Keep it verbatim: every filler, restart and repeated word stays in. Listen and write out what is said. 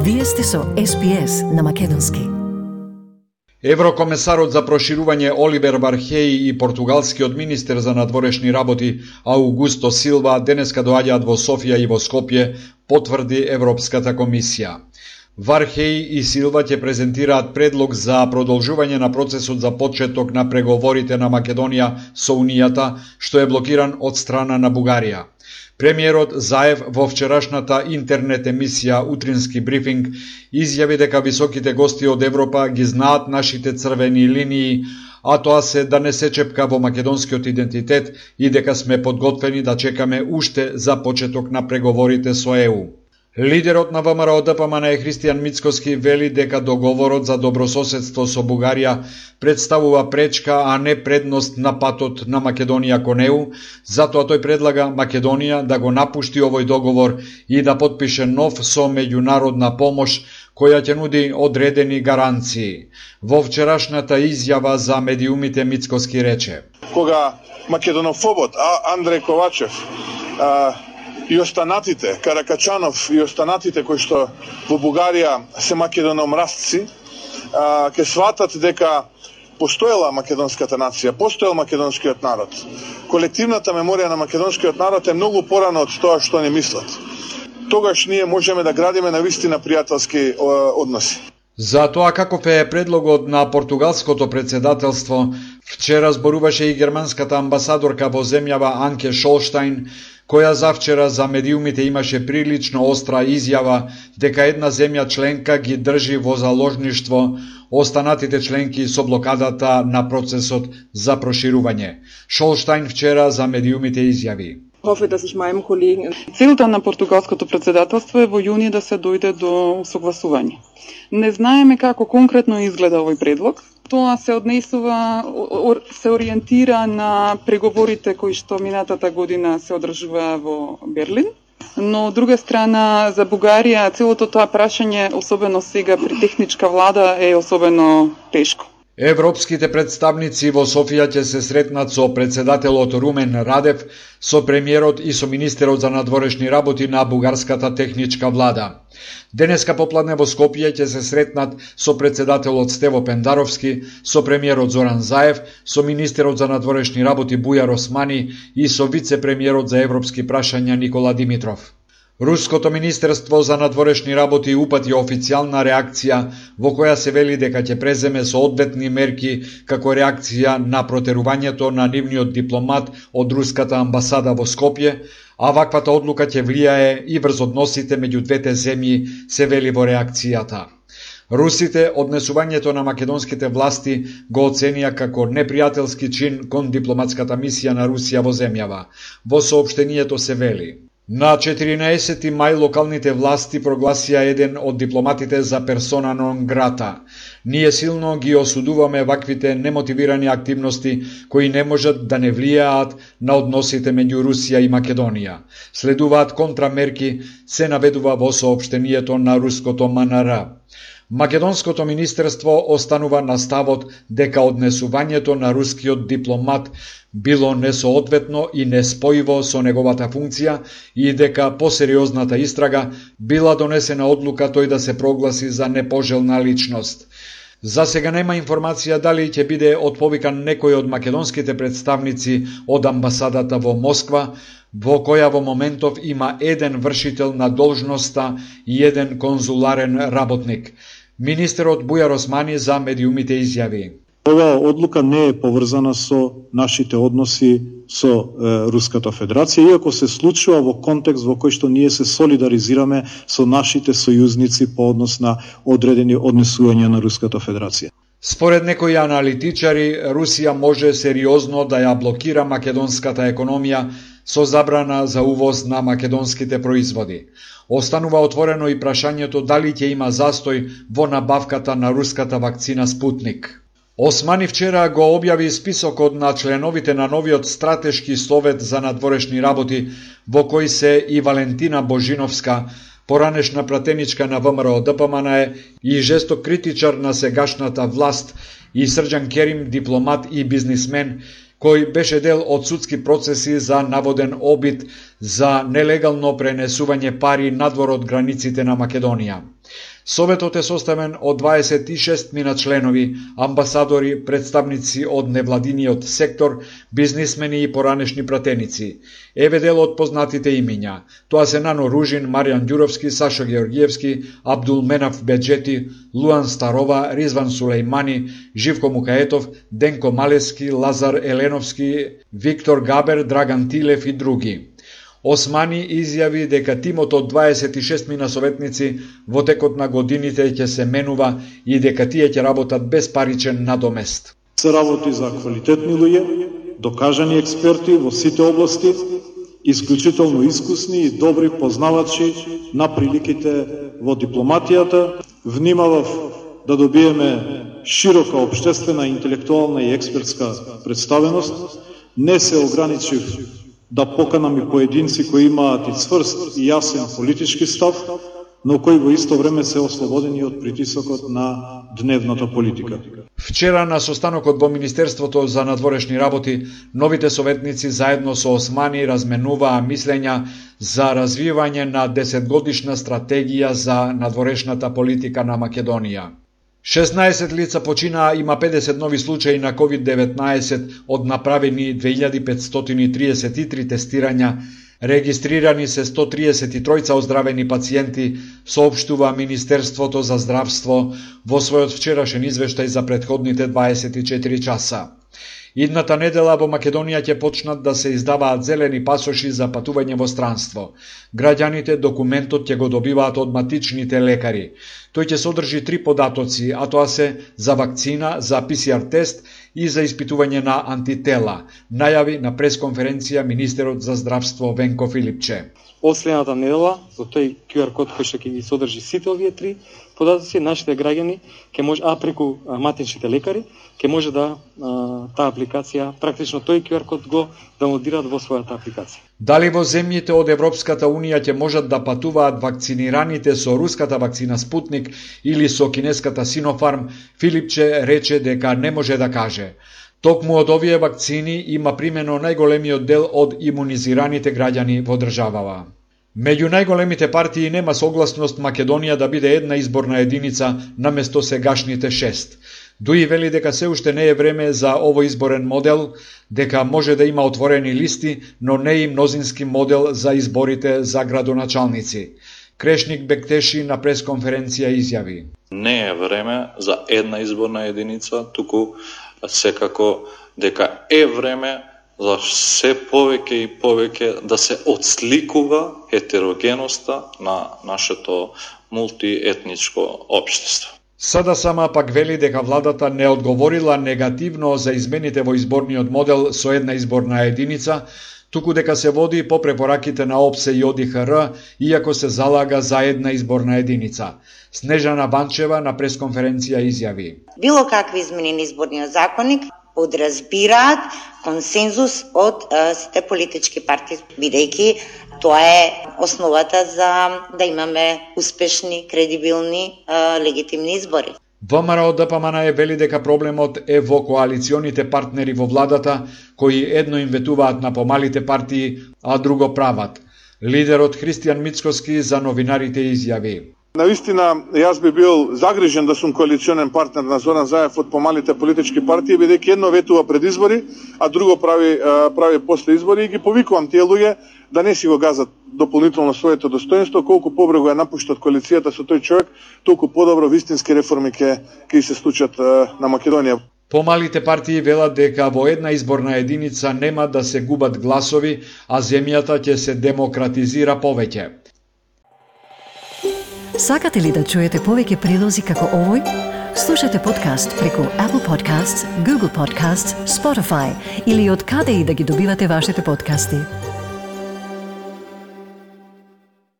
Вие сте со Ес Би Ес на македонски. Еврокомесарот за проширување Оливер Вархеи и португалскиот министер за надворешни работи Аугусто Силва денеска доаѓаат во Софија и во Скопје, потврди Европската комисија. Вархеи и Силва ќе презентираат предлог за продолжување на процесот за почеток на преговорите на Македонија со Унијата, што е блокиран од страна на Бугарија. Премиерот Заев во вчерашната интернет емисија Утрински брифинг изјави дека високите гости од Европа ги знаат нашите црвени линии, а тоа се да не се чепка во македонскиот идентитет и дека сме подготвени да чекаме уште за почеток на преговорите со Е У. Лидерот на ВМРО Д П М Н Христијан Мицкоски вели дека договорот за добрососедство со Бугарија представува пречка, а не предност на патот на Македонија кон Е У, затоа тој предлага Македонија да го напушти овој договор и да потпише нов со меѓународна помош која ќе нуди одредени гаранции. Во вчерашната изјава за медиумите Мицкоски рече: Кога македонофобот Андреј Ковачев а, и останатите, Каракачанов и останатите кои што во Бугарија се македономразци, ќе сватат дека постоела македонската нација, постоел македонскиот народ. Колективната меморија на македонскиот народ е многу порано од тоа што не мислат. Тогаш ние можеме да градиме на вистина пријателски односи. За тоа каков е предлогот на португалското председателство, вчера зборуваше и германската амбасадорка во земјава Анке Шолштајн, која завчера за медиумите имаше прилично остра изјава дека една земја членка ги држи во заложништво останатите членки со блокадата на процесот за проширување. Шолштајн вчера за медиумите изјави: Целта на португалското председателство е во јуни да се дојде до согласување. Не знаеме како конкретно изгледа овој предлог. Тоа се однесува, се ориентира на преговорите кои што минатата година се одржуваа во Берлин. Но од друга страна, за Бугарија целото тоа прашање, особено сега при техничка влада, е особено тешко. Европските представници во Софија ќе се сретнат со председателот Румен Радев, со премиерот и со министерот за надворешни работи на бугарската техничка влада. Денеска попладне во Скопје ќе се сретнат со председателот Стево Пендаровски, со премиерот Зоран Заев, со министерот за надворешни работи Бујар Османи и со вице-премиерот за европски прашања Никола Димитров. Руското министерство за надворешни работи упати официјална реакција во која се вели дека ќе преземе соодветни мерки како реакција на протерувањето на нивниот дипломат од руската амбасада во Скопје, а ваквата одлука ќе влијае и врз односите меѓу двете земји, се вели во реакцијата. Русите однесувањето на македонските власти го оценија како непријателски чин кон дипломатската мисија на Русија во земјава. Во соопштението се вели: На четиринаесети мај локалните власти прогласија еден од дипломатите за персона нон грата. Ние силно ги осудуваме ваквите немотивирани активности кои не можат да не влијаат на односите меѓу Русија и Македонија. Следуваат контрамерки, се наведува во соопштението на руското М Н Р. Македонското министерство останува на ставот дека однесувањето на рускиот дипломат било несоодветно и неспојиво со неговата функција и дека по сериозната истрага била донесена одлука тој да се прогласи за непожелна личност. За сега нема информација дали ќе биде отповикан некој од македонските представници од амбасадата во Москва, во која во моментов има еден вршител на должноста и еден конзуларен работник. Министерот Бујар Османи за медиумите изјави: Оваа одлука не е поврзана со нашите односи со е, Руската Федерација, иако се случува во контекст во кој што ние се солидаризираме со нашите сојузници по однос на одредени однесувања на Руската Федерација. Според некои аналитичари, Русија може сериозно да ја блокира македонската економија со забрана за увоз на македонските производи. Останува отворено и прашањето дали ќе има застој во набавката на руската вакцина Спутник. Османи вчера го објави списокот на членовите на новиот стратешки совет за надворешни работи, во кој се и Валентина Божиновска, поранешна пратеничка на ВМРО Д П М Н и жесток критичар на сегашната власт, и Срđan Керим, дипломат и бизнисмен, кој беше дел од судски процеси за наводен обид за нелегално пренесување пари надвор од границите на Македонија. Советот е составен од дваесет и шест мина членови, амбасадори, представници од невладиниот сектор, бизнисмени и поранешни пратеници. Еве дел од познатите имиња. Тоа се Нано Ружин, Маријан Ѓуровски, Сашо Георгиевски, Абдул Менав Беджети, Луан Старова, Ризван Сулејмани, Живко Мукаетов, Денко Малески, Лазар Еленовски, Виктор Габер, Драган Тилев и други. Османи изјави дека тимот од дваесет и шест мина советници во текот на годините ќе се менува и дека тие ќе работат без паричен надомест. Се работи за квалитетни луѓе, докажани експерти во сите области, исклучително искусни и добри познавачи на приликите во дипломатијата. Внимавав да добиеме широка општествена, интелектуална и експертска представеност. Не се ограничив да поканам и поединци кои имаат и цврст и јасен политички став, но кои во исто време се ослободени од притисокот на дневната политика. Вчера на состанокот во Министерството за надворешни работи, новите советници заедно со Османи разменуваа мислења за развивање на десетгодишна стратегија за надворешната политика на Македонија. шеснаесет лица починаа, има педесет нови случаи на ковид деветнаесет од направени две илјади петстотини и триесет и три тестирања, регистрирани се сто триесет и тројца оздравени пациенти, соопштува Министерството за здравство во својот вчерашен извештај за претходните дваесет и четири часа. Идната недела во Македонија ќе почнат да се издаваат зелени пасоши за патување во странство. Граѓаните документот ќе го добиваат од матичните лекари. Тој ќе содржи три податоци, а тоа се за вакцина, за пи си ар тест и за испитување на антитела, најави на пресконференција министерот за здравство Венко Филипче. Од следната недела, со тој ку ар код кој што ќе ги содржи сите овие три податоци, нашите граѓани ќе може, а преку матичните лекари, ќе може да а, таа апликација, практично тој ку ар код го даунлодираат во својата апликација. Дали во земјите од Европската Унија ќе можат да патуваат вакцинираните со руската вакцина Спутник или со кинеската Синофарм, Филипче рече дека не може да каже. Токму од овие вакцини има примено најголемиот дел од имунизираните граѓани во државава. Меѓу најголемите партии нема согласност Македонија да биде една изборна единица наместо сегашните шест. Дуи вели дека се уште не е време за овој изборен модел, дека може да има отворени листи, но не и мнозински модел за изборите за градоначалници. Крешник Бектеши на пресконференција изјави: Не е време за една изборна единица, туку секако дека е време за се повеќе и повеќе да се отсликува хетерогеноста на нашето мултиетничко општество. Сада сама пак вели дека владата не одговорила негативно за измените во изборниот модел со една изборна единица, туку дека се води по препораките на ОПСЕ и О Д И Х Р, иако се залага за една изборна единица. Снежана Банчева на пресконференција изјави: Било какви измени на изборниот законник подразбираат консензус од а, сите политички партии, бидејќи тоа е основата за да имаме успешни, кредибилни, а, легитимни избори. ВМРО Д П М Н е вели дека проблемот е во коалиционите партнери во владата, кои едно им ветуваат на помалите партии, а друго прават. Лидерот Христијан Мицкоски за новинарите изјави: Наистина, јас би бил загрижен да сум коалиционен партнер на Зоран Заев од помалите политички партии, бидејќи едно ветува пред избори, а друго прави прави после избори, и ги повикувам тие луѓе да не си го газат дополнително своето достоинство. Колку побрзо ја напуштат коалицијата со тој човек, толку подобро вистински реформи ќе ќе се случат на Македонија. Помалите партии велат дека во една изборна единица нема да се губат гласови, а земјата ќе се демократизира повеќе. Сакате ли да чуете повеќе прилози како овој? Слушате подкаст преку Apple Podcasts, Google Podcasts, Spotify или од каде и да ги добивате вашите подкасти.